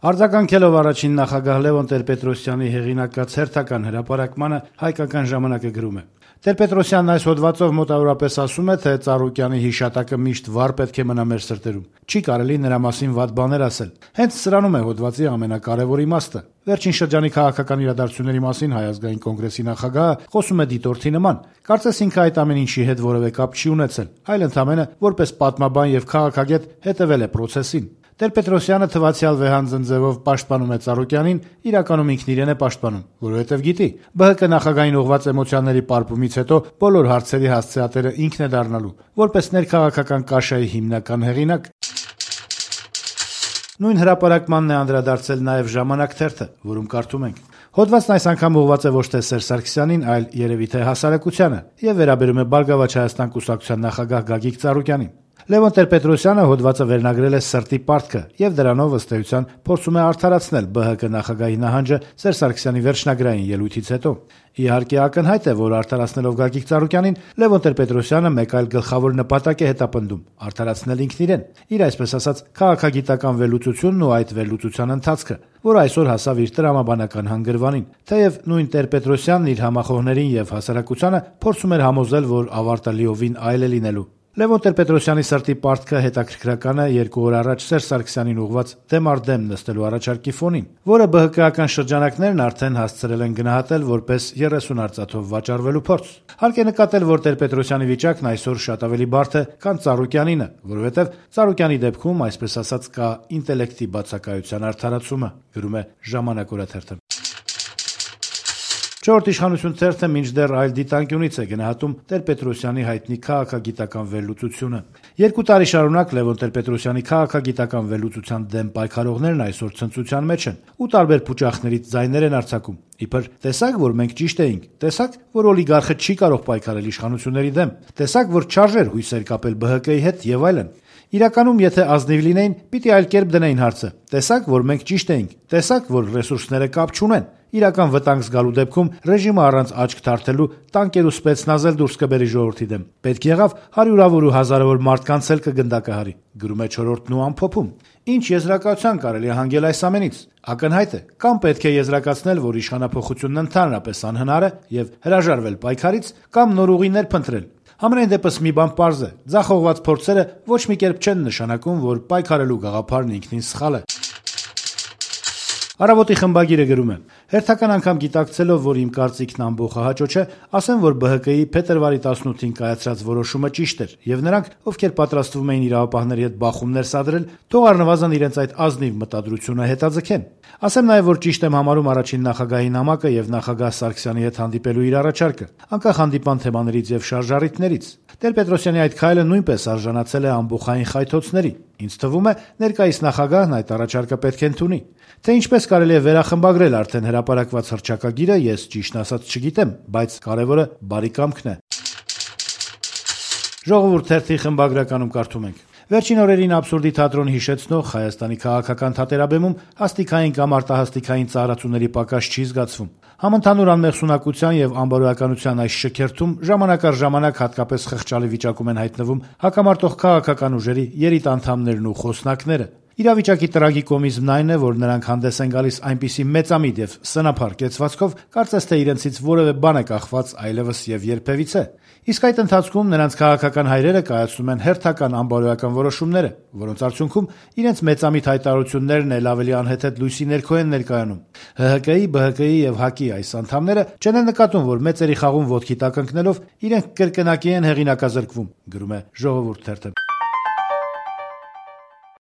Արձագանքելով առաջին նախագահ Լևոն Տեր-Պետրոսյանի հեղինակած հերթական հրապարակմանը «Հայկական ժամանակ»-ը գրում է. Տեր-Պետրոսյանն այս հոդվածով մոտավորապես ասում է, թե Ծառուկյանի հիշատակը միշտ վառ պետք է մնա մեր սրտերում։ Չի կարելի նրա մասին վատ բաներ ասել։ Հենց սրանում է հոդվածի ամենակարևոր իմաստը։ Վերջին շրջանի քաղաքական իրադարձությունների մասին Հայ ազգային կոնգրեսի նախագահը խոսում է դիտորդի նման։ Կարծես ինքը այդ ամեն ինչի հետ որևէ կապ չի ունեցել, այլ ընդամենը որպես պատմաբան եւ քաղաքագետ հետեւել է process-ին։ Տեր-Պետրոսյանը թվացյալ վեհանձն ձևով պաշտպանում է Ծառուկյանին, իրականում ինքն իրեն է պաշտպանում, որովհետև գիտի, ԲՀԿ նախագահային ուղղված էմոցիաների պարպումից հետո բոլոր հարցերի հասցեատերը ինքն է դառնալու, որպես ներքաղաքական կաշայի հիմնական հեղինակ։ Նույն հրապարակմանն է անդրադարձել նաև «Ժամանակ» թերթը, որում կարդում ենք. Հոդվածն այս անգամ ուղղված է ոչ թե Սերժ Սարգսյանին, այլ երևի թե հասարակությանը եւ վերաբերում է Բարգավաճ Հայաստան կուսակցության նախագահ Գագիկ Ծառուկյանին։ Լևոն Տեր-Պետրոսյանը հոդվածը վերնագրել է «Սրտի պարտքը» եւ դրանով ըստ էության փորձում է արդարացնել ԲՀԿ նախագահի նահանջը Սերժ Սարգսյանի վերջնագրային ելույթից հետո։ Իհարկե ակնհայտ է, որ արդարացնելով Գագիկ Ծառուկյանին Լևոն Տեր-Պետրոսյանը մեկ այլ գլխավոր նպատակ է հետապնդում՝ արդարացնել ինքն իրեն, իր այսպես ասած քաղաքագիտական վերլուծությունն ու այդ վերլուծության ընթացքը, որ այսօր հասավ իր տրամաբանական հանգրվանին։ Թեև նույն Տեր-Պետրոսյանն իր համախոհներին եւ հասարակությանը փորձում էր համոզել, որ ավարտը լիովին այլ է լինելու։ Լևոն Տեր-Պետրոսյանի «Սրտի պարտքը» հետաքրքրական է 2 օր առաջ Սերժ Սարգսյանին ուղղված դեմ առ դեմ նստելու առաջարկի ֆոնին, որը ԲՀԿ-ական շրջանակներն արդեն հասցրել են գնահատել որպես 30 արծաթով վաճառվելու փորձ։ Հարկ է նկատել, որ Տեր-Պետրոսյանի վիճակն այսօր շատ ավելի բարդ է, քան Ծառուկյանինը, որովհետև Ծառուկյանի դեպքում, այսպես ասած, կա ինտելեկտի բացակայության արդարացումը, գրում է «Ժամանակ» օրաթերթը։ Չորրորդ իշխանություն թերթը մինչդեռ այլ դիտանկյունից է գնահատում Տեր-Պետրոսյանի հայտնի քաղաքագիտական վերլուծությունը։ 2 տարի շարունակ Լևոն Տեր-Պետրոսյանի քաղաքագիտական վերլուծության դեմ պայքարողներն այսօր ցնծության մեջ են ու տարբեր փուճախներից ձայներ են արձակում։ Իբր տեսակ, որ մենք ճիշտ էինք, տեսակ, որ օլիգարխը չի կարող պայքարել իշխանությունների դեմ, տեսակ, որ չարժեր հույսեր կապել ԲՀԿ-ի հետ եւ այլն։ Իրականում, եթե ազնիվ լինեին, պիտի այլ կերպ դնեին հարցը։ Տեսակ, որ մենք ճիշտ էինք, տեսակ, որ ռեսուրսները կապ չունեն։ Իրական վտանգ զգալու դեպքում ռեժիմը առանց աչք թարթելու տանկեր ու սպեցնազել դուրս կբերի ժողովրդի դեմ։ Պետք եղավ հարյուրավոր ու հազարավոր մարդկանց էլ կգնդակահարի, գրում է Չորրորդն ու ամփոփում։ Ինչ եզրակացության կարելի է հանգել այս ամենից։ Ակնհայտ է, կամ պետք է եզրակացնել, որ իշխանափոխությունն ընդհանրապես անհնար է եւ հրաժարվել պայքարից, կամ նոր ուղիներ փնտրել։ Համենայն դեպս մի բան պարզ է. ձախողված փորձերը ոչ մի կերպ չեն նշանակում, որ պայքարելու գաղափարն ինքնին սխալ է։ Առավոտի խմբագիրը գրում է. հերթական անգամ գիտակցելով, որ իմ կարծիքն ամբողջահաճո չէ, ասեմ, որ ԲՀԿ-ի փետրվարի 18-ին կայացրած որոշումը ճիշտ էր, եւ նրանք, ովքեր պատրաստվում էին իրավապահների հետ բախումներ սադրել, թող առնվազն իրենց այդ ազնիվ մտադրությունը հետաձգեն։ Ասեմ նաեւ, որ ճիշտ եմ համարում առաջին նախագահի նամակը եւ նախագահ Սարգսյանի հետ հանդիպելու իր առաջարկը, անկախ հանդիպան թեմաներից եւ շարժառիթներից։ Տեր-Պետրոսյանի այդ քայլը նույնպես արժանացել է ամբողջային խայթոցների։ Ինձ թվում է, ներկայիս նախագահն այդ առաջարկը պետք է ընդունի։ Թե ինչպես կարելի է վերախմբագրել արդեն հրապարակված հռչակագիրը, ես ճիշտն ասած չգիտեմ, բայց կարևորը բարի կամքն է։ Ժողովուրդ թերթի խմբագրականում կարդում ենք. Վերջին օրերին աբսուրդի թատրոն հիշեցնող Հայաստանի քաղաքական թատերաբեմում հաստիկային կամ արտահաստիկային ծառացուների պակաս չի զգացվում։ Համընդհանուր անմեղսունակության եւ անբարոյականության այս շքերթում ժամանակ առ ժամանակ հատկապես խղճալի վիճակում են հայտնվում հակամարտող քաղաքական ուժերի երիտ անդամներն ու խոսնակները։ Իրավիճակի տրագիկոմիզմն այն է, որ նրանք հանդես են գալիս այնպիսի մեծամիտ եւ սնափառ կեցվածքով, կարծես թե իրենցից որևէ բան է կախված այլևս եւ երբևիցե։ Իսկ այդ ընթացքում նրանց քաղաքական հայրերը կայացնում են հերթական անբարոյական որոշումները, որոնց արդյունքում իրենց մեծամիտ հայտարարություններն էլ ավելի անհեթեթ լույսի ներքո են ներկայանում։ ՀՀԿ-ի, ԲՀԿ-ի եւ ՀԱԿ-ի այս անդամները չեն նկատում, որ մեծերի խաղում ոտքի տակ ընկնելով իրենք կրկնակի են հեղինակազրկվում, գրում է Ժողովուրդ թերթը։